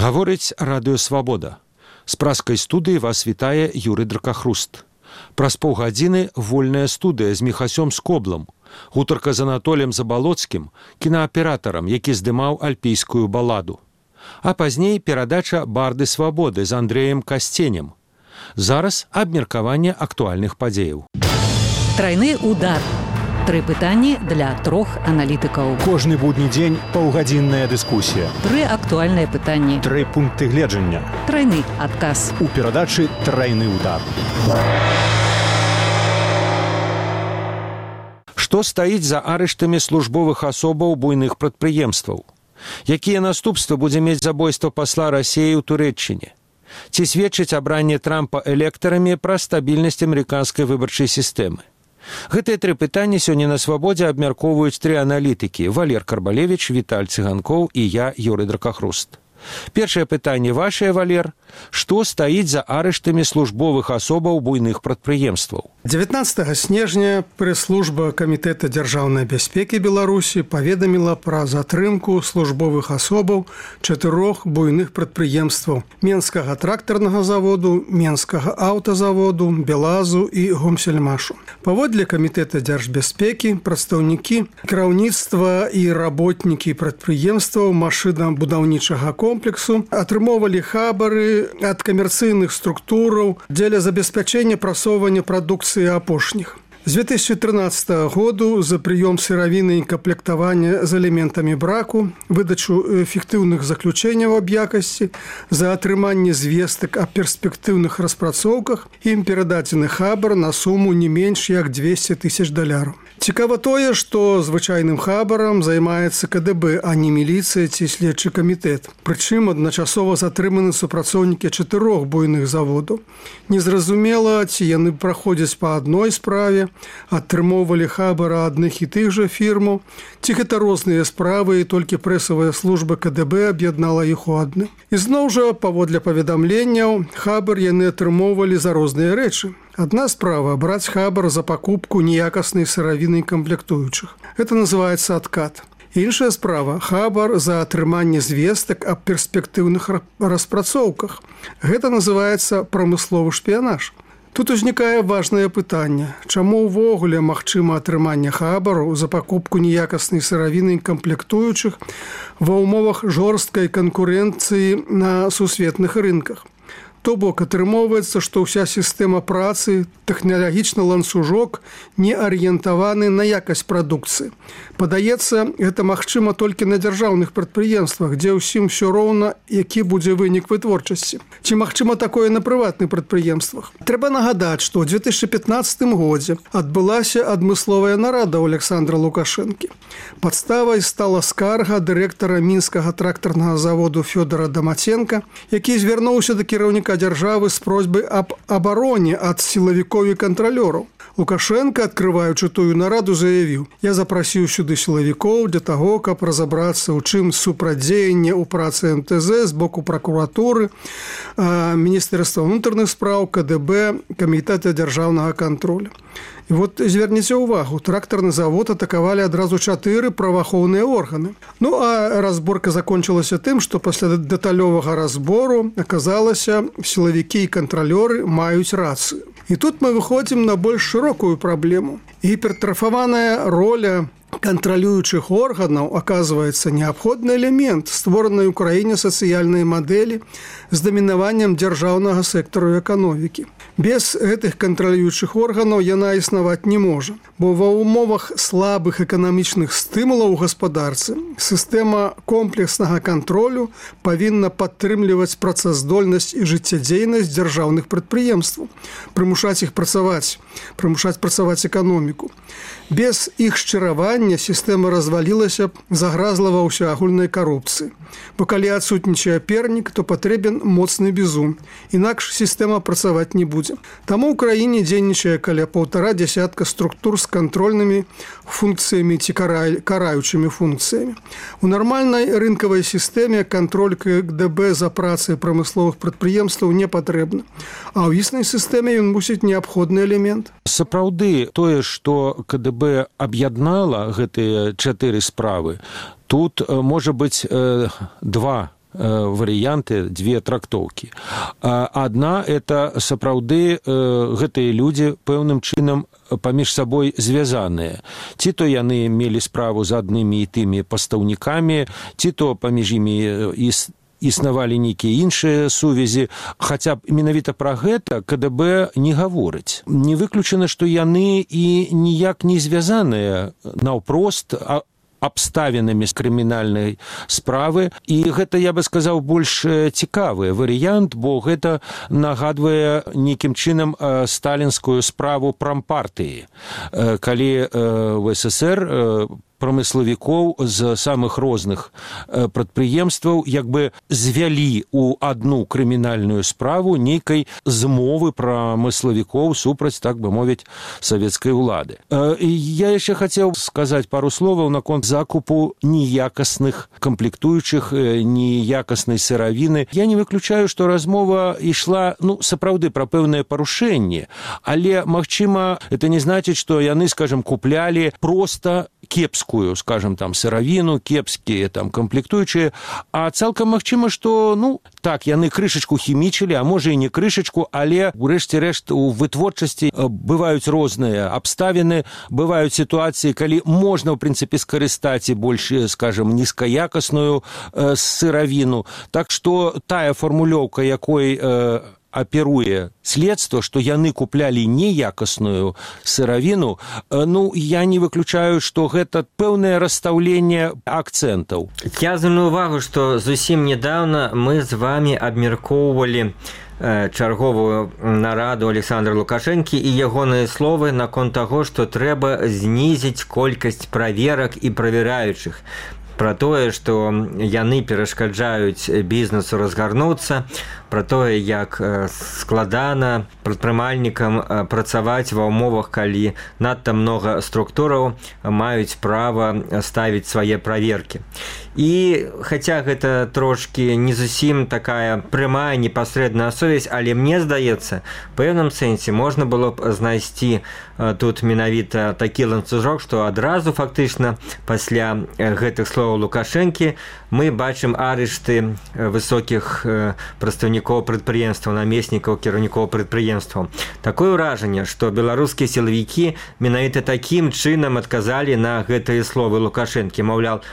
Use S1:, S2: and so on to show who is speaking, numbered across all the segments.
S1: Гаворыць Радыё Свабода. З праскай студыі вас вітае Юрый Дракахруст. Праз паўгадзіны вольная студыя з Міхасём Скоблам. Гутарка з Анатолем Забалоцкім, кінааператарам, які здымаў альпійскую баладу. А пазней перадача «Барды свабоды» з Андрэем Касценем. Зараз абмеркаванне актуальных падзеяў.
S2: Трайны удар. 3 пытанні для 3 аналітыкаў.
S3: Кожны будні дзень паўгадзінная дыскусія.
S2: 3 актуальныя пытанні.
S3: 3 пункты гледжання.
S2: Трайны адказ.
S3: У перадачы «Трайны удар».
S1: Што стаіць за арыштамі службовых асобаў буйных прадпрыемстваў? Якія наступствы будзе мець забойства пасла Расіі ў Турэччыне? Ці сведчыць абранне Трампа электарамі пра стабільнасць амерыканскай выбарчай сістэмы? Гэтыя 3 пытанні сёння на Свабодзе абмяркоўваюць 3 аналітыкі: Валер Карбалевіч, Віталь Цыганкоў і я, Юрый Дракахруст. Першае пытанне вашае, Валер. Што стаіць за арыштамі службовых асобаў буйных прадпрыемстваў?
S4: 19 снежня прэс-служба Камітэта дзяржаўнай бяспекі Беларусі паведаміла пра затрымку службовых асобаў 4 буйных прадпрыемстваў: Менскага трактарнага заводу, Менскага аўтазаводу, Белазу і Гомсельмашу. Паводле Камітэта дзяржбяспекі прадстаўнікі кіраўніцтва і работнікі прадпрыемстваў машынабудаўнічага комплексу атрымоўвалі хабары ад камерцыйных структураў дзеля забеспячэння прасоўвання прадукцыі апошніх. З 2013 году за прыём сыравіны і камплектавання з элементамі браку, выдачу эфектыўных заключэнняў аб якасці, за атрыманне звестак аб перспектыўных распрацоўках ім перададзены хабар на суму не менш як $200 000. Цікава тое, што звычайным хабарам займаецца КДБ, а не міліцыя ці следчы камітэт. Прычым адначасова затрыманы супрацоўнікі 4 буйных заводаў. Незразумела, ці яны праходзяць па адной справе, атрымоўвалі хабара адных і тых жа фірмаў, ці гэта розныя справы, і толькі прэсавая служба КДБ аб'яднала іх у адны. І зноў жа, паводле паведамленняў, хабар яны атрымоўвалі за розныя рэчы. Адна справа – браць хабар за пакупку неякаснай сыравіны і камплектуючых. Гэта называецца адкат. Іншая справа – хабар за атрыманне звестак аб перспектыўных распрацоўках. Гэта называецца прамысловы шпіянаж. Тут узнікае важнае пытанне. Чаму ўвогуле магчыма атрыманне хабару за пакупку неякаснай сыравіны і камплектуючых ва ўмовах жорсткай канкурэнцыі на сусветных рынках? То бок атрымоўваецца, што ўся сістэма працы, тэхналагічны ланцужок не арыентаваны на якасць прадукцыі. Падаецца, гэта магчыма толькі на дзяржаўных прадпрыемствах, дзе ўсім усё роўна, які будзе вынік вытворчасці. Ці магчыма такое на прыватных прадпрыемствах? Трэба нагадаць, што ў 2015 годзе адбылася адмысловая нарада ў Александра Лукашэнкі. Падставай стала скарга дырэктара мінскага трактарнага заводу Фёдора Дамаценка, які звярнуўся да кіраўніка дзяржавы з просьбай аб абароне ад сілавікоў і кантралёраў. Лукашенко, адкрываючы тую нараду, заявіў: «Я запрасіў сюды сілавікоў для таго, каб разабрацца, у чым супрацьдзеянне ў працы МТЗ з боку пракуратуры, Міністэрства ўнутраных спраў, КДБ, Камітэта дзяржаўнага кантролю». І вот зверніце ўвагу, трактарны завод атакавалі адразу 4 праваахоўныя органы. Ну, а разборка закончылася тым, што пасля дэталёвага разбору аказалася, сілавікі і кантралёры маюць рацыю. І тут мы выходзім на больш шырокую праблему. Гіпертрафаваная роля кантралюючых органаў аказваецца неабходны элемент створанай у краіне сацыяльнай мадэлі з дамінаваннем дзяржаўнага сектару эканомікі. Без гэтых кантралюючых органаў яна існаваць не можа, бо ва ўмовах слабых эканамічных стымулаў у гаспадарцы сістэма комплекснага кантролю павінна падтрымліваць працаздольнасць і жыццядзейнасць дзяржаўных прадпрыемстваў, прымушаць іх працаваць, прымушаць працаваць эканоміку. Без іх шчыравання сістэма развалілася, загразла ва ўсеагульнай карупцыі. Бо калі адсутнічае пернік, то патрэбен моцны бізун. Інакш сістэма працаваць не будзе. Таму ў краіне дзейнічае каля 1,5 десятка структур з кантрольнымі функцыямі ці караючымі функцыямі. У нармальнай рынкавай сістэме кантроль КДБ за працай прамысловых прадпрыемстваў не патрэбны. А ў існай сістэме ён мусіць неабходны элемент.
S1: Сапраўды, тое, што КДБ аб'яднала гэтыя 4 справы, тут можа быць 2 варыянты, дзве трактоўкі. Адна – это сапраўды гэтыя людзі пэўным чынам паміж сабой звязаныя. Ці то яны мелі справу з аднымі і тымі пастаўнікамі, ці то паміж імі існавалі нейкія іншыя сувязі. Хаця б менавіта пра гэта КДБ не гаворыць. Не выключана, што яны і ніяк не звязаныя наўпрост абставінамі з крымінальнай справы. І гэта, я бы сказаў, больш цікавы варыянт, бо гэта нагадвае нейкім чынам сталінскую справу прампартыі. Калі в СССР прамыславікоў з самых розных прадпрыемстваў як бы звялі ў адну крымінальную справу нейкай змовы прамыславікоў супраць, так бы мовіць, савецкай улады. Я яшчэ хацеў сказаць пару словаў наконт закупу неякасных камплектуючых, неякаснай сыравіны. Я не выключаю, што размова ішла, сапраўды пра пэўнае парушэнне, але, магчыма, это не значыць, што яны, скажем, куплялі проста кепскую, скажем, там, сыравіну, кепскія там камплектуючыя, а цалкам магчыма, што, так, яны крышачку хімічылі, а можа і не крышачку, але, урэшце рэшт, у вытворчасці бываюць розныя абставіны, бываюць сітуацыі, калі можна, ў прынцыпе, скарыстаць і больш, скажем, нізкаякасную сыравіну. Так што тая фармулёўка, якой аперуе следства, што яны куплялі неякасную сыравіну, я не выключаю, што гэта пэўнае расстаўленне акцэнтаў.
S5: Я звярну увагу, што зусім нядаўна мы з вамі абмяркоўвалі чарговую нараду Александра Лукашэнкі і ягоныя словы наконт таго, што трэба знізіць колькасць праверак і правяраючых. Пра тое, што яны перашкаджаюць бізнесу разгарнуцца, пра тое, як складана прадпрымальнікам працаваць ва ўмовах, калі надта многа структураў маюць права ставіць свае праверкі. І хаця гэта трошкі не зусім такая прямая непасрэдная сувязь, але мне здаецца, в пэўным сэнсе можна было б знайсці тут менавіта такі ланцужок, што адразу фактычна пасля гэтых словаў Лукашэнкі мы бачым арышты высокіх прадстаўнікоў прадпрыемстваў, намеснікаў кіраўнікоў прадпрыемстваў. Такое ўражанне, што беларускія сілавікі менавіта такім чынам адказалі на гэтыя словы Лукашэнкі. Маўляў,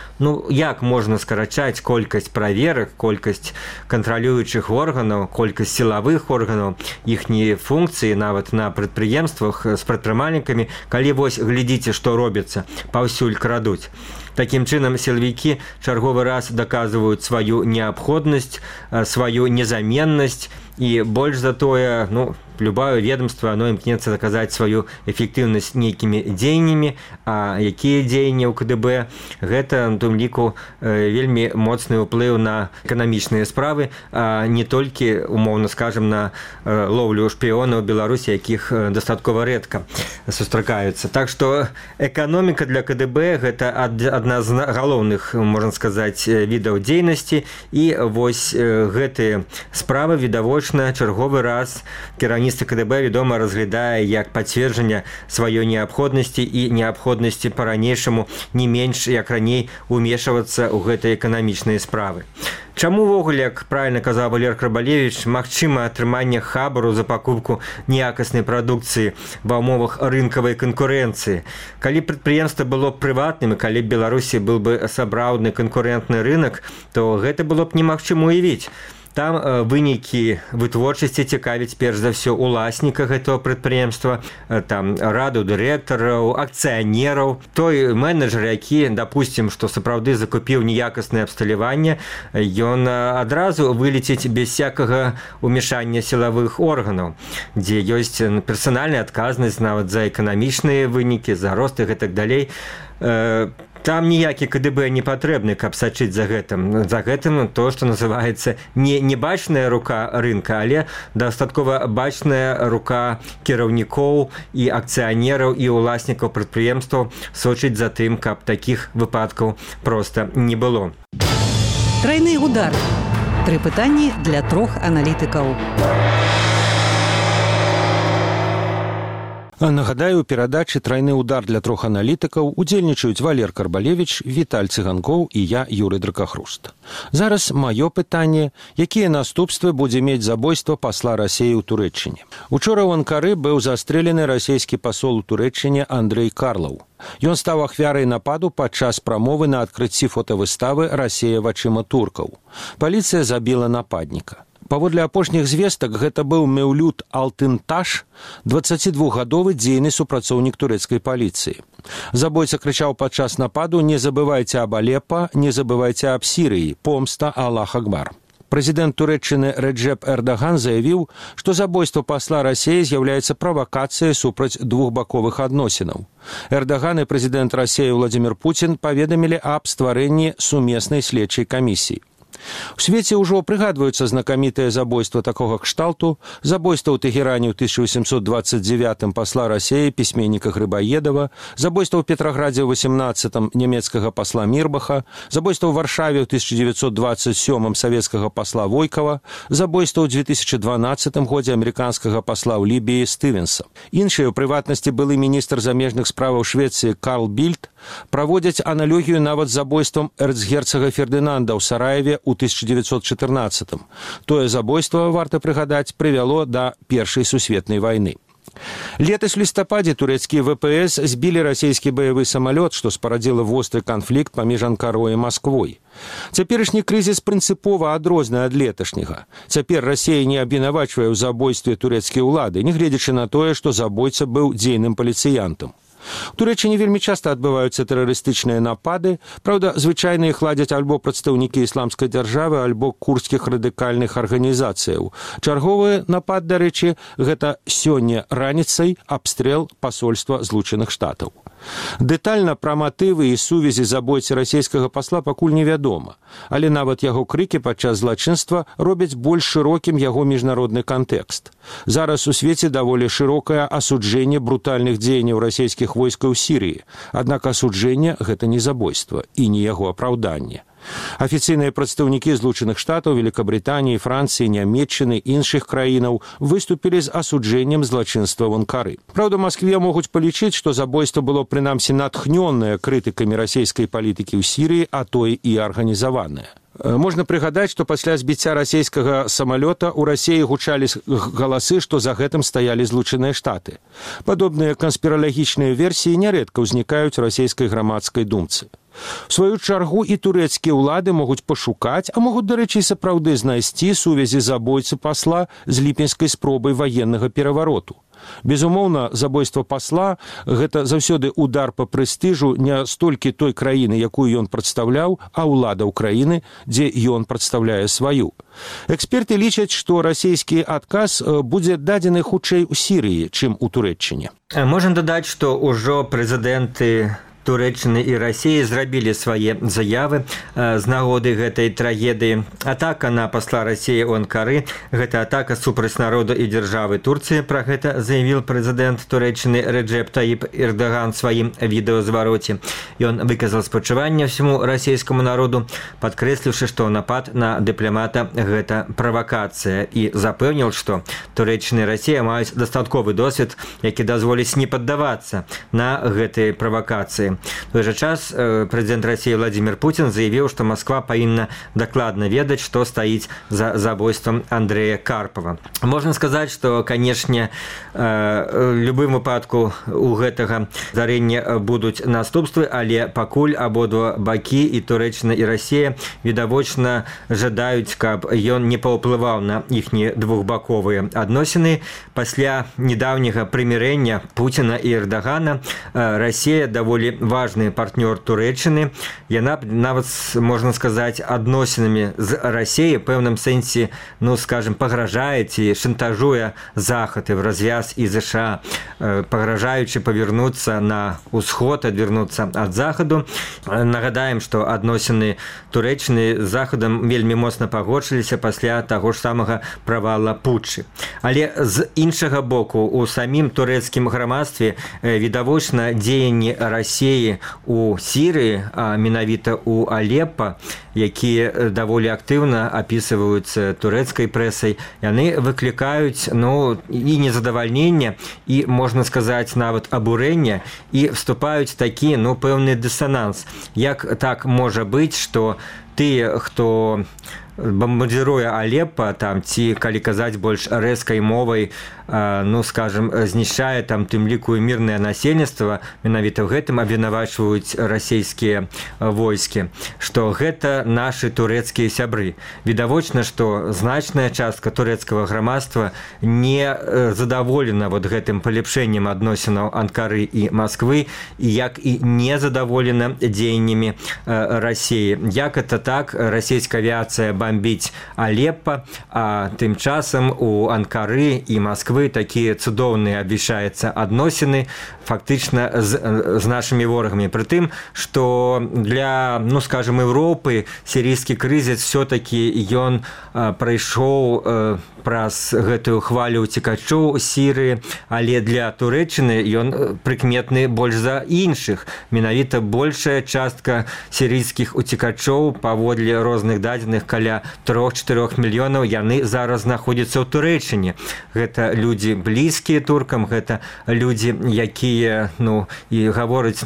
S5: як можна скарачаць колькасць праверак, колькасць кантралюючых органаў, колькасць сілавых органаў, іхнія функцыі нават на прадпрыемствах з прадпрымальнікамі, калі вось глядзіце, што робіцца, паўсюль крадуць. Такім чынам сілавікі чарговы раз даказваюць сваю неабходнасць, сваю незаменнасць і больш за тое, любое ведомство, оно імкнецца даказаць сваю эфектыўнасць нейкімі дзеяннямі, а якія дзеянні ў КДБ, гэта, у тым ліку, вельмі моцны ўплыў на эканамічныя справы, а не толькі, умоўна скажам, на лоўлю шпіёнаў Беларусі, якіх дастаткова рэдка сустракаюцца. Так што эканоміка для КДБ – гэта адна з галоўных, можна сказаць, відаў дзейнасці, і вось гэтыя справы відавочна чарговы раз кіраўніцтва КДБ, вядома, разглядае як пацверджанне сваёй неабходнасці і неабходнасці па-ранейшаму не менш, як раней, умешвацца ў гэтыя эканамічныя справы. Чаму ўвогуле, як правільна казаў Валер Крабалевіч, магчыма атрыманне хабару за пакупку неякаснай прадукцыі ва ўмовах рынкавай канкурэнцыі? Калі прадпрыемства было б прыватным, і калі б Беларусі быў бы сапраўдны канкурэнтны рынак, то гэта было б немагчыма уявіць. Там вынікі вытворчасці цікавіць перш за ўсё уласніка гэтага прадпрыемства, там раду дырэктараў, акцыянераў. Той менеджер, які, допустим, што сапраўды закупіў неякаснае абсталяванне, ён адразу вылеціць без всякага умешання сілавых органаў, дзе ёсць персанальная адказнасць нават за эканамічныя вынікі, за рост і гэтак далей. Там ніякі КДБ не патрэбны, каб сачыць за гэтым. За гэтым то, што называецца не бачная рука рынка, але дастаткова бачная рука кіраўнікоў і акцыянераў і уласнікаў прадпрыемстваў сочыць за тым, каб такіх выпадкаў проста не было.
S2: Трайны удар. 3 пытанні для 3 аналітыкаў.
S1: Нагадаю, у перадачы «Трайны удар» для 3 аналітыкаў удзельнічаюць Валер Карбалевіч, Віталь Цыганкоў і я, Юрый Дракахруст. Зараз маё пытанне, якія наступствы будзе мець забойства пасла Расіі ў Турэччыне. Учора ў Анкары быў застрэлены расійскі пасол у Турэччыне Андрэй Карлаў. Ён стаў ахвярай нападу падчас прамовы на адкрыцці фотавыставы «Расія вачыма туркаў». Паліцыя забіла нападніка. Паводле апошніх звестак, гэта быў Меўлют Алтынташ, 22гадовы дзейны супрацоўнік турэцкай паліцыі. Забойца крычаў падчас нападу «Не забывайце аб Алеппа, не забывайце аб Сірыі, помста Аллах Акбар». Прэзідэнт Турэччыны Реджеп Эрдаган заявіў, што забойства пасла Расіі з'яўляецца правакацыяй супраць двухбаковых адносінаў. Эрдаган і прэзідэнт Расіі Владзімір Пуцін паведамілі аб стварэнні сумеснай следчай камісіі. У свеце ўжо прыгадваюцца знакамітыя забойства такога кшталту, забойства ў Тэгеране ў 1829 пасла Расіі пісьменніка Грыбаедава, забойства ў Петраградзе ў 18 нямецкага пасла Мірбаха, забойства ў Варшаве ў 1927 савецкага пасла Войкава, забойства ў 2012 годзе амерыканскага пасла ў Лібіі Стывенса. Іншыя, у прыватнасці былы міністр замежных справаў Швецыі Карл Більд, праводзяць аналогію нават з забойствам эрцгерцага Фердынанда ў Сараеве ў 1914. Тое забойство, варта прыгадаць, прывяло да Першай сусветнай вайны. Летась у лістападзе турэцкія ВПС збілі расійскі баявы самалёт, што спарадзіла востры канфлікт паміж Анкарой і Масквой. Цяперашні крызіс прынцыпова адрозны ад леташняга. Цяпер Расія не абвінавачвае ў забойстве турэцкія ўлады, нягледзячы на тое, што забойца быў дзейным паліцыянтам. У Турэччыне вельмі часта адбываюцца тэрарыстычныя напады, праўда, звычайна іх ладзяць альбо прадстаўнікі ісламскай дзяржавы, альбо курдскіх радыкальных арганізацыяў. Чарговы напад, дарэчы, гэта сёння раніцай абстрэл пасольства Злучаных Штатаў. Дэтальна пра матывы і сувязі забойцы расійскага пасла пакуль невядома, але нават яго крыкі падчас злачынства робяць больш шырокім яго міжнародны кантэкст. Зараз у свеце даволі шырокае асуджэнне брутальных дзеянняў расійскіх войскаў у Сірыі, аднак асуджэнне гэта не забойства і не яго апраўданне. Афіцыйныя прадстаўнікі Злучаных Штатаў, Великабрытаніі, Францыі, Нямецчыны, іншых краінаў выступілі з асуджэннем злачынства ў Анкары. Праўда, Маскве могуць палічыць, што забойства было прынамсі натхнёнае крытыкамі расійскай палітыкі ў Сірыі, а то і арганізаванае. Можна прыгадаць, што пасля збіцця расійскага самалёта ў Расіі гучалі галасы, што за гэтым стаялі Злучаныя Штаты. Падобныя канспіралагічныя версіі нярэдка ўзнікаюць у расійскай грамадскай думцы. У сваю чаргу і турэцкія ўлады могуць пашукаць, а могуць, дарэчы, сапраўды знайсці сувязі забойцы пасла з ліпеньскай спробай ваеннага перавароту. Безумоўна, забойства пасла – гэта заўсёды удар па прэстыжу не столькі той краіны, якую ён прадстаўляў, а ўладаў краіны, дзе ён прадстаўляе сваю. Эксперты лічаць, што расійскі адказ будзе дадзены хутчэй у Сірыі, чым у Турэччыне.
S5: Можам дадаць, што ўжо прэзідэнты Турэччыны і Расіі зрабілі свае заявы з нагоды гэтай трагедыі. Атака на пасла Расіі ў Анкары – гэта атака супраць народу і дзяржавы Турцыі. Пра гэта заявіў прэзідэнт Турэччыны Реджеп Таіп Эрдаган сваім відэазвароце. Ён выказаў спачуванне ўсяму расійскаму народу, падкрэсліўшы, што напад на дыпламата – гэта правакацыя, і запэўніў, што Турэччына і Расія маюць дастатковы досвед, які дазволіць не паддавацца на гэтыя правакацыі. В той жа час прэзідэнт Расіі Владзімір Пуцін заявіў, што Масква павінна дакладна ведаць, што стаіць за забойствам Андрэя Карпава. Можна сказаць, што, канешне, у любым выпадку у гэтага здарэння будуць наступствы, але пакуль абодва бакі, і Турэччына, і Расія, відавочна жадаюць, каб ён не паўплываў на іхнія двухбаковыя адносіны. Пасля недаўняга прымірэння Пуціна і Эрдагана Расія даволі важны партнёр Турэччыны. Яна нават, можна сказаць, адносінамі з Расіяй в пэўным сэнсе, скажем, пагражае ці шантажуе Захад і в развяз і ЗША, пагражаючы павернуцца на ўсход, адвярнуцца ад Захаду. Нагадаем, што адносіны Турэччыны з Захадам вельмі моцна пагоршыліся пасля таго ж самага правала путчы. Але з іншага боку, у самім турэцкім грамадстве відавочна дзеянні Расіі падзеі у Сірыі, а менавіта у Алеппа, якія даволі актыўна апісваюцца турэцкай прэсай, яны выклікаюць і незадавальненне, і, можна сказаць, нават абурэнне, і вступаюць такі пэўны дысананс. Як так можа быць, што тыя, хто бомбардзіруе Алеппа, ці, калі казаць больш рэзкай мовай, знішчае тым ліку мірнае насельніцтва, менавіта ў гэтым абвінавачваюць расійскія войскі, што гэта нашы турэцкія сябры. Відавочна, што значная частка турэцкага грамадства не задаволена гэтым палепшэннем адносінаў Анкары і Масквы, і як і не задаволена дзеяннямі Расіі. Як это так? Расійская авіацыя бомбіць Алеппа, а тым часам у Анкары і Масквы такія цудоўныя абвяшчаюцца адносіны фактычна з нашымі ворагамі. Пры тым, што для, Еўропы сірійскі крызіс все-таки ён прайшоў праз гэтую хвалю уцекачоў Сірыі, але для Турэччыны ён прыкметны больш за іншых. Менавіта большая частка сірійскіх уцекачоў, паводле розных дадзеных, каля 3-4 мільёнаў, яны зараз знаходзяцца ў Турэччыне. Гэта людзі блізкія туркам, гэта людзі, якія і гавораць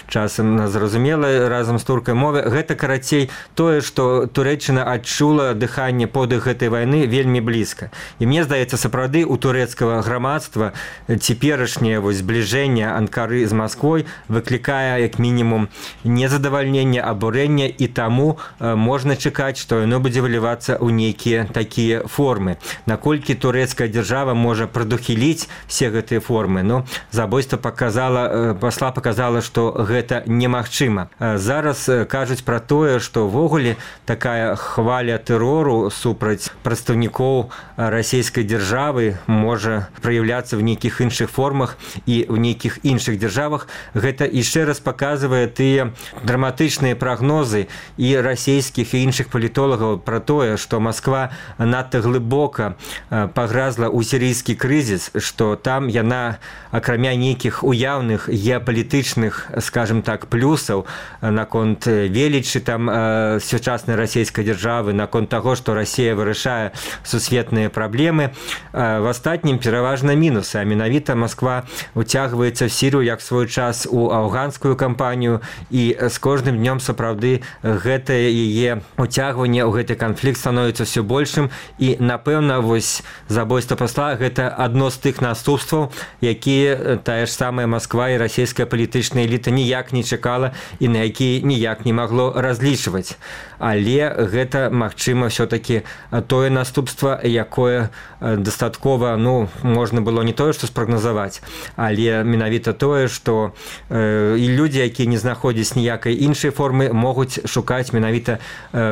S5: часам на зразумелай разам з туркай мове. Гэта, карацей, тое, што Турэччына адчула дыханне подых гэтай вайны вельмі блізка. І мне здаецца, сапраўды у турэцкага грамадства цяперашняе збліжэнне Анкары з Масквой выклікае як мінімум незадавальненне, абурэнне, і таму можна чакаць, што яно будзе вылівацца ў нейкія такія формы. Наколькі турэцкая дзяржава можа прадухіліць все гэтыя формы? Забойства пасла паказала, што гэта немагчыма. Зараз кажуць пра тое, што ўвогуле такая хваля тэрору супраць прадстаўнікоў расійскай дзяржавы можа праяўляцца в нейкіх іншых формах і ў нейкіх іншых дзяржавах. Гэта яшчэ раз паказвае тыя драматычныя прагнозы і расійскіх і іншых палітолагаў пра тое, што Масква надта глыбока пагразла ў сірійскі крызіс, што там яна, акрамя нейкіх уяўных геапалітычных, скажем так, плюсаў наконт велічы сучаснай расійскай дзяржавы, наконт таго, што Расія вырашае сусветныя праблемы, в астатнім пераважна мінусы. А менавіта Масква уцягваецца в Сірыю як свой час у афганскую кампанію, і з кожным днём сапраўды гэтае яе уцягванне ў гэты канфлікт становіцца ўсё большым, і напэўна забойства пасла гэта адно з тых наступстваў, якія тая ж самая Масква і расійская палітычная эліта ніяк не чакала і на якія ніяк не магло разлічваць. Але гэта, магчыма, все-таки тое наступства, якое дастаткова, можна было не тое, што спрагназаваць, але менавіта тое, што і людзі, якія не знаходзяць ніякай іншай формы, могуць шукаць менавіта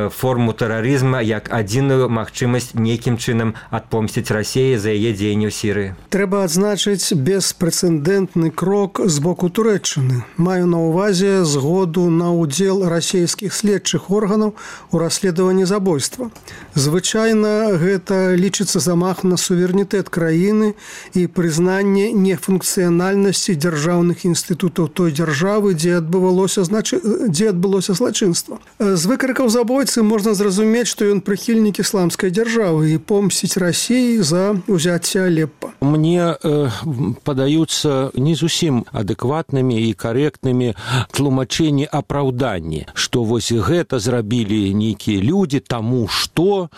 S5: форму тэрарызма як адзіную магчымасць нейкім чынам адпомсціць Расіі за яе дзеянні ў Сірыі.
S4: Трэба адзначыць беспрэцэдэнтны крок з боку Турэччыны. Маю на ўвазе згоду на ўдзел расійскіх следчых органаў у расследаванні забойства. Звычайна гэта лічыцца замах на суверэнітэт краіны і прызнанне нефункцыянальнасці дзяржаўных інстытутаў той дзяржавы, дзе адбылося злачынства. З выкрыкаў забойцы можна зразумець, што ён прыхільнік ісламскай дзяржавы і помсціць Расіі за ўзяцце Алеппа.
S1: Мне падаюцца не зусім адэкватнымі і карэктнымі тлумачэнні апраўданні, што гэта зрабілі нейкія людзі, таму што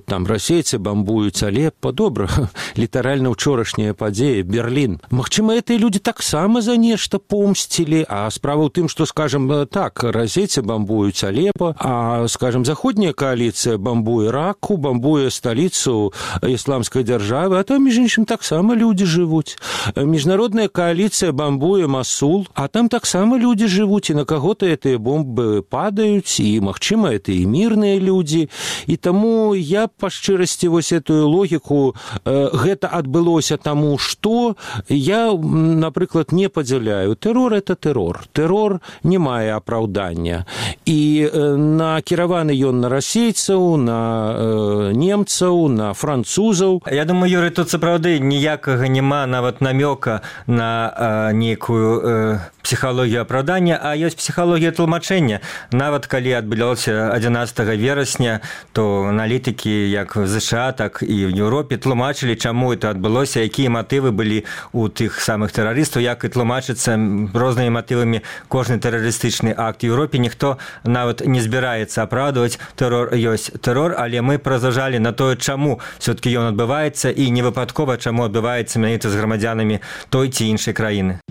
S1: там расейцы бамбуюць Алеппа. Добра, літаральна ўчорашняя падзея, Берлін. Магчыма, гэтыя людзі таксама за нешта помсцілі, а справа ў тым, што, скажам, так, расейцы бамбуюць Алеппа, а, скажам, заходняя коаліцыя бамбуе Раку, бамбуе сталіцу ісламскай дзяржавы, а там, між іншым, таксама людзі жывуць. Міжнародная коаліцыя бамбуе Масул, а там таксама людзі жывуць, і на каго-то гэтыя бомбы падаюць, і, магчыма, это і мірныя людзі. І таму я, па шчырасці, этую логіку, гэта адбылося таму, што я, напрыклад, не падзяляю. Тэрор – это тэрор. Тэрор не мае апраўдання. І накіраваны ён на расейцаў, на немцаў, на французаў.
S5: Я думаю, Юрый, тут сапраўды ніякага няма нават намёка на нейкую псіхалогію апраўдання, а ёсць псіхалогія тлумачэння. Нават калі адбылося 11 верасня, то аналітыкі як в ЗША, так і в Еўропе тлумачылі, чаму это адбылося, якія матывы былі у тых самых тэрарыстаў, як і тлумачыцца рознымі матывамі кожны тэрарыстычны акт. В Еўропе ніхто нават не збіраецца апраўдваць тэрор, ёсць тэрор, але мы разважалі на тое, чаму все-таки ён адбываецца, і не выпадкова, чаму адбываецца менавіта з грамадзянамі той ці іншай краіны.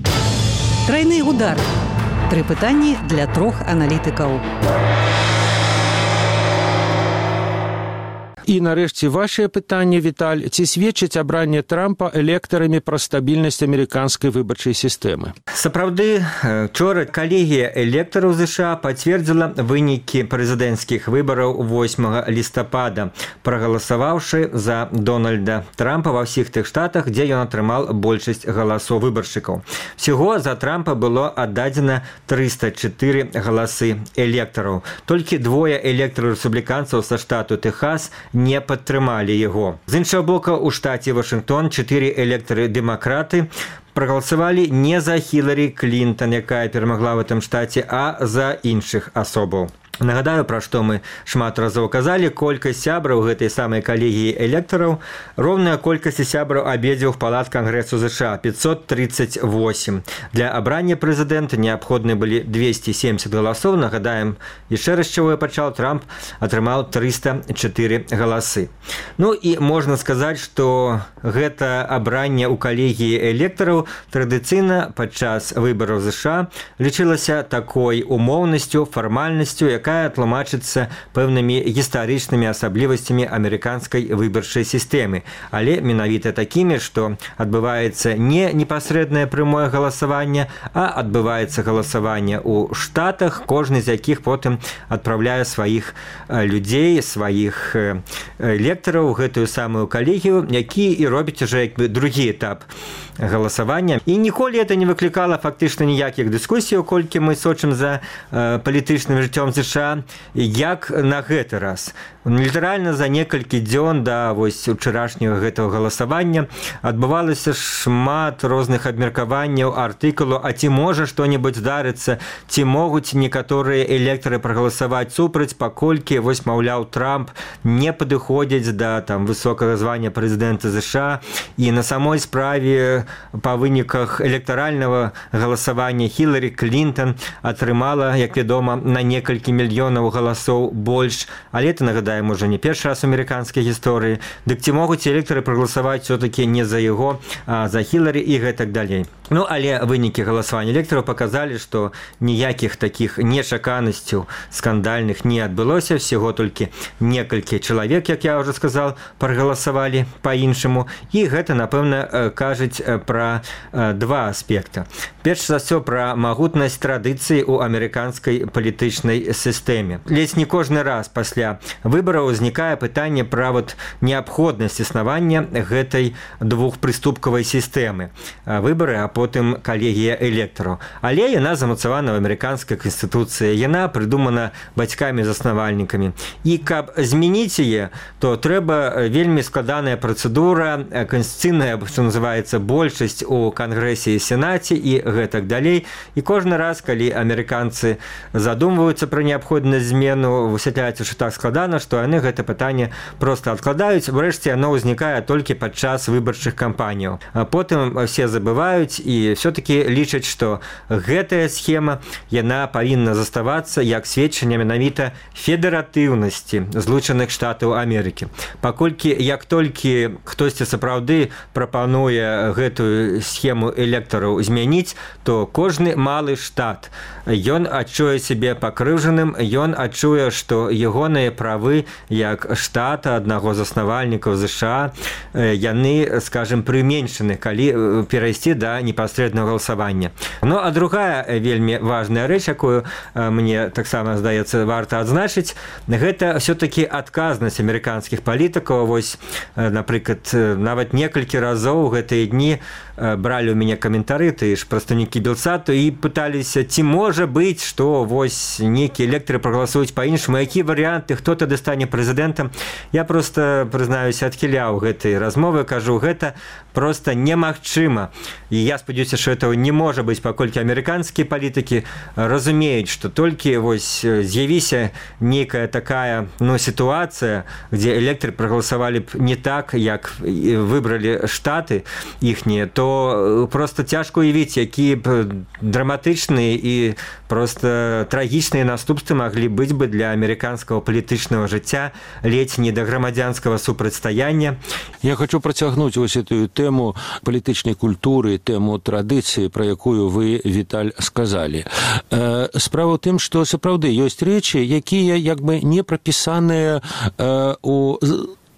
S2: Трайны удар. 3 пытанні для 3 аналітыкаў.
S1: І нарэшце вашее пытанне, Віталь, ці сведчыць абранне Трампа электарамі пра стабільнасць амерыканскай выбарчай сістэмы?
S5: Сапраўды, вчора калегія электараў ЗША пацвердзіла вынікі прэзідэнцкіх выбараў 8 лістапада, прагаласаваўшы за Дональда Трампа ва ўсіх тых штатах, дзе ён атрымаў большасць галасоў выбаршчыкаў. Всего за Трампа было аддадзена 304 галасы электараў. Толькі 2 электараў рэспубліканцаў са штату Тэхас не падтрымалі яго. З іншага бока, у штаце Вашынгтон 4 электары-дэмакраты прагаласавалі не за Хіларі Клінтон, якая перамагла в этом штаце, а за іншых асобаў. Нагадаю, пра што мы шмат разоў казалі, колькасць сябраў гэтай самай калегіі электараў роўная колькасці сябраў абедзвюх палат Кангрэсу ЗША – 538. Для абрання прэзідэнта неабходны былі 270 галасоў. Нагадаем, яшчэ раз, чаго я пачаў, Трамп атрымаў 304 галасы. Ну і можна сказаць, што гэта абранне ў калегіі электараў традыцыйна падчас выбараў ЗША лічылася такой умоўнасцю, фармальнасцю, якая тлумачыцца пэўнымі гістарычнымі асаблівасцямі амерыканскай выбарчай сістэмы, але менавіта такімі, што адбываецца не непасрэднае прямое галасаванне, а адбываецца галасаванне ў штатах, кожны з якіх потым адпраўляе сваіх людзей, сваіх электараў у гэтую самую калегію, які і робіць ужо як бы другі этап галасавання. І ніколі это не выклікала фактычна ніякіх дыскусій, колькі мы сочым за палітычным жыццём ЗША, як на гэты раз. Літаральна за некалькі дзён да вось учарашняга гэтага галасавання адбывалася шмат розных абмеркаванняў, артыкулаў, а ці можа што-небудзь здарыцца, ці могуць некаторыя электары прагаласаваць супраць, паколькі вось, маўляў, Трамп не падыходзіць да там высокага звання прэзідэнта ЗША, і на самой справе па выніках электаральнага галасавання Хіларі Клінтон атрымала, як вядома, на некалькі мільёнаў галасоў больш, але это, нагадаем, уже не першы раз у амерыканскай гісторыі. Дык ці могуць электары прагаласаваць все-таки не за яго, а за Хіларі і гэтак далей. Ну, але вынікі галасавання электараў паказалі, што ніякіх такіх нечаканасцяў скандальных не адбылося, всего толькі некалькі чалавек, як я ўжо сказал, прагаласавалі па-іншаму, і гэта, напэўна, кажуць пра два аспекта. Перш за ўсё, пра магутнасць традыцыі ў амерыканскай палітычнай сістэме. Ледзь не кожны раз пасля выбараў узнікае пытанне пра неабходнасць існавання гэтай двухпрыступкавай сістэмы. Выбары, а потым калегія электараў. Але яна замацавана ў амерыканскай канстытуцыі, яна прыдумана бацькамі-заснавальнікамі. І каб змяніць яе, то трэба вельмі складаная працэдура, канстытуцыйная, што называецца, большасць у Кангрэсе і Сенаце і гэтак далей. І кожны раз, калі амерыканцы задумваюцца пра неабходнасць змену, высвятляецца, што так складана, што яны гэта пытанне проста адкладаюць. Врэшце, яно ўзнікае толькі падчас выбарчых кампаніяў. А потым все забываюць і все-таки лічаць, што гэтая схема, яна павінна заставацца як сведчанне менавіта федэратыўнасці Злучаных Штатаў Амерыкі. Паколькі як толькі хтосьці сапраўды прапануе гэтую схему электараў змяніць, то кожны малы штат, ён адчуе сябе пакрыўджаным, ён адчуе, што ягоныя правы як штата, аднаго з заснавальнікаў ЗША, яны, скажем, прыменшаны, калі перайсці да непасрэднага галасавання. Ну, а другая вельмі важная рэч, якую мне таксама, здаецца, варта адзначыць, гэта все-таки адказнасць амерыканскіх палітыкаў. Вось, напрыклад, нават некалькі разоў гэтыя дні бралі ў мяне каментары, ты ж прадстаўнікі Белсату, і пыталіся, ці можа быць, што вось нейкія электары прагаласуюць па-іншаму, якія варыянты, хто тады стане стане прэзідэнтам. Я просто, прызнаюся, адхіляў гэтай размовы, кажу, гэта просто немагчыма. І я спадзяюся, што этого не можа быць, паколькі амерыканскія палітыкі разумеюць, што толькі вось з'явіся нейкая такая сітуацыя, дзе электары прагаласавалі б не так, як выбралі штаты іхнія, то просто цяжка уявіць, якія б драматычныя і просто трагічныя наступствы маглі быць бы для амерыканскага палітычнага жыцця, ледзь не да грамадзянскага супрацьстаяння.
S1: Я хочу працягнуць вось эту тэму палітычнай культуры, тэму традыцыі, пра якую вы, Віталь, сказалі. Справа ў тым, што сапраўды ёсць рэчы, якія як бы не прапісаныя у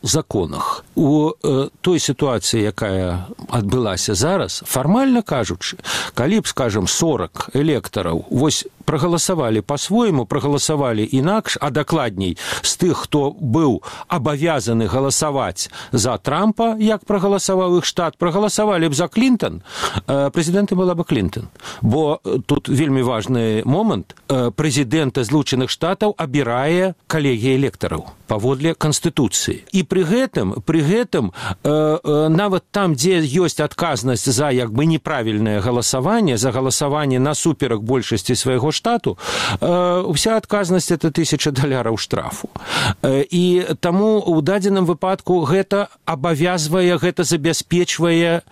S1: законах. У той сітуацыі, якая адбылася зараз, фармальна кажучы, калі б, скажем, 40 электараў вось прагаласавалі па-свойму, прагаласавалі інакш, а дакладней з тых, хто быў абавязаны галасаваць за Трампа, як прагаласаваў іх штат, прагаласавалі б за Клінтон, прэзідэнтам была бы Клінтон. Бо тут вельмі важны момант. Прэзідэнта Злучаных Штатаў абірае калегія электараў паводле Канстытуцыі. І пры гэтым нават там, дзе ёсць адказнасць за як бы неправільнае галасаванне, за галасаванне насуперак большасці свайго штату, вся адказнасць это $1000 штрафу. І таму ў дадзеным выпадку гэта абавязвае, гэта забяспечвае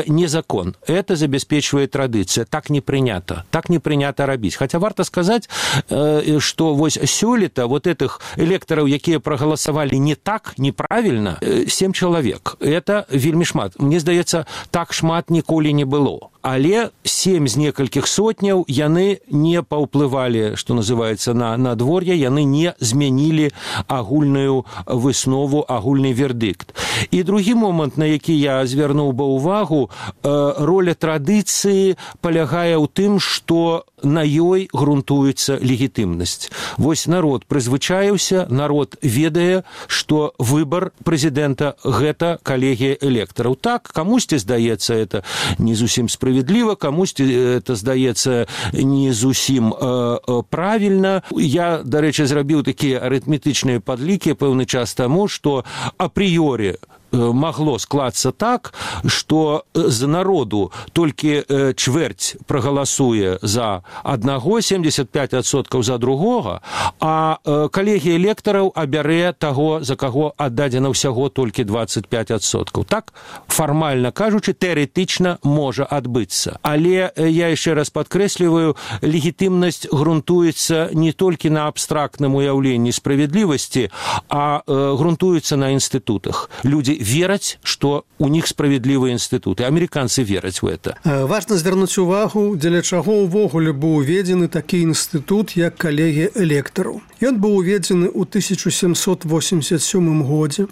S1: не закон, это забяспечвае традыцыя. Так не прынята рабіць. Хаця варта сказаць, што вось сёлета вот этих электараў, якія прагаласавалі не так, неправільна, 7 чалавек. Это вельмі шмат. Мне здаецца, так шмат ніколі не было. Але 7 з некалькіх сотняў яны не паўплывалі, што называецца, на надвор'е, яны не змянілі агульную выснову, агульны вердыкт. І другі момант, на які я звярнуў бы ўвагу, роля традыцыі палягае ў тым, што на ёй грунтуецца легітымнасць. Вось народ прызвычаіўся, народ ведае, што выбар прэзідэнта – гэта калегія электараў. Так, камусьці здаецца это не зусім справедліва, камусьці это здаецца не зусім правільна. Я, дарэчы, зрабіў такія арытметычныя падлікі пэўны час таму, што апрыёрі магло склацца так, што з народу толькі чвэрць прагаласуе за аднаго, 75% за другога, а калегія электараў абярэ таго, за каго аддадзена ўсяго толькі 25%. Так, фармальна кажучы, тэарэтычна можа адбыцца. Але я яшчэ раз падкрэсліваю, легітымнасць грунтуецца не толькі на абстрактным уяўленні справядлівасці, а грунтуецца на інстытутах. Людзі вераць, што у них справядлівыя інстытуты. Амерыканцы вераць в это.
S4: Важна звярнуць увагу, дзеля чаго ўвогуле быў уведзены такі інстытут, як калегія электараў. Ён быў уведзены ў 1787 годзе.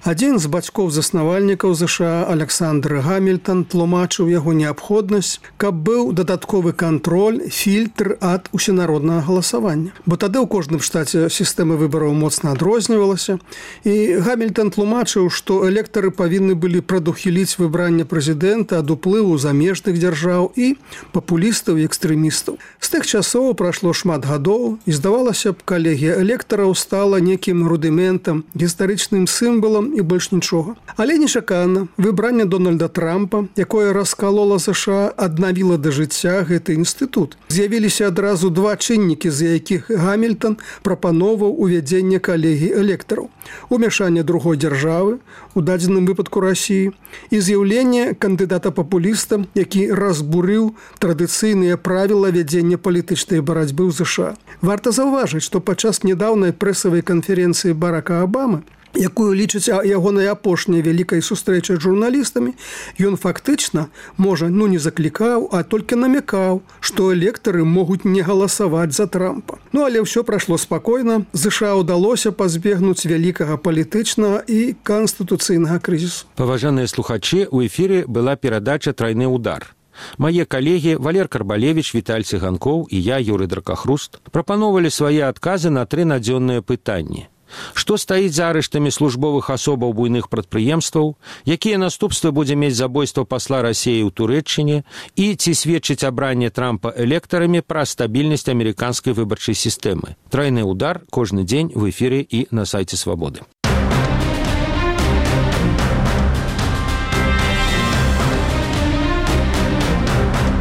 S4: Адзін з бацькоў-заснавальнікаў ЗША Александр Гамільтон тлумачыў яго неабходнасць, каб быў дадатковы кантроль, фільтр ад усенароднага галасавання. Бо тады ў кожным штаце сістэма выбараў моцна адрознівалася, і Гамільтон тлумачыў, што электары павінны былі прадухіліць выбранне прэзідэнта ад уплыву замежных дзяржаў і папулістаў і экстрэмістаў. З тых часоў прайшло шмат гадоў, і здавалася б, калегія электараў стала некім рудыментам, гістарычным сімвалам і больш нічога. Але нечакана выбранне Дональда Трампа, якое раскалола ЗША, аднавіла да жыцця гэты інстытут. З'явіліся адразу два чыннікі, з якіх Гамільтон прапановаў увядзенне калегій электараў: умяшанне другой дзяржавы, у дадзеным выпадку Расіі, і з'яўленне кандыдата-папуліста, які разбурыў традыцыйныя правілы вядзення палітычнай барацьбы ў ЗША. Варта заўважыць, што падчас нядаўнай прэсавай канферэнцыі Барака Абамы, якую лічыць ягонай апошняй вялікай сустрэчай з журналістамі, ён фактычна, можа, не заклікаў, а толькі намякаў, што электары могуць не галасаваць за Трампа. Але ўсё прайшло спакойна. ЗША ўдалося пазбегнуць вялікага палітычнага і канстытуцыйнага крызісу.
S1: Паважаныя слухачы, у эфіры была перадача «Трайны удар». Мае калегі Валер Карбалевич, Віталь Цыганкоў і я, Юрый Дракахруст, прапановалі свае адказы на 3 надзённыя пытанні. Што стаіць за арыштамі службовых асобаў буйных прадпрыемстваў, якія наступствы будзе мець забойства пасла Расіі ў Турэччыне і ці сведчыць абранне Трампа электарамі пра стабільнасць амерыканскай выбарчай сістэмы. Трайны удар кожны дзень в эфіры і на сайце Свабоды.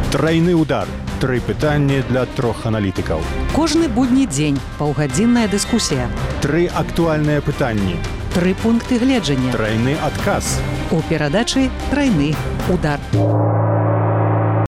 S3: Трайны удар. 3 пытанні для 3 аналітыкаў.
S2: Кожны будні дзень паўгадзінная дыскусія.
S3: 3 актуальныя пытанні.
S2: 3 пункты гледжання.
S3: Трайны адказ.
S2: У перадачы «Трайны удар».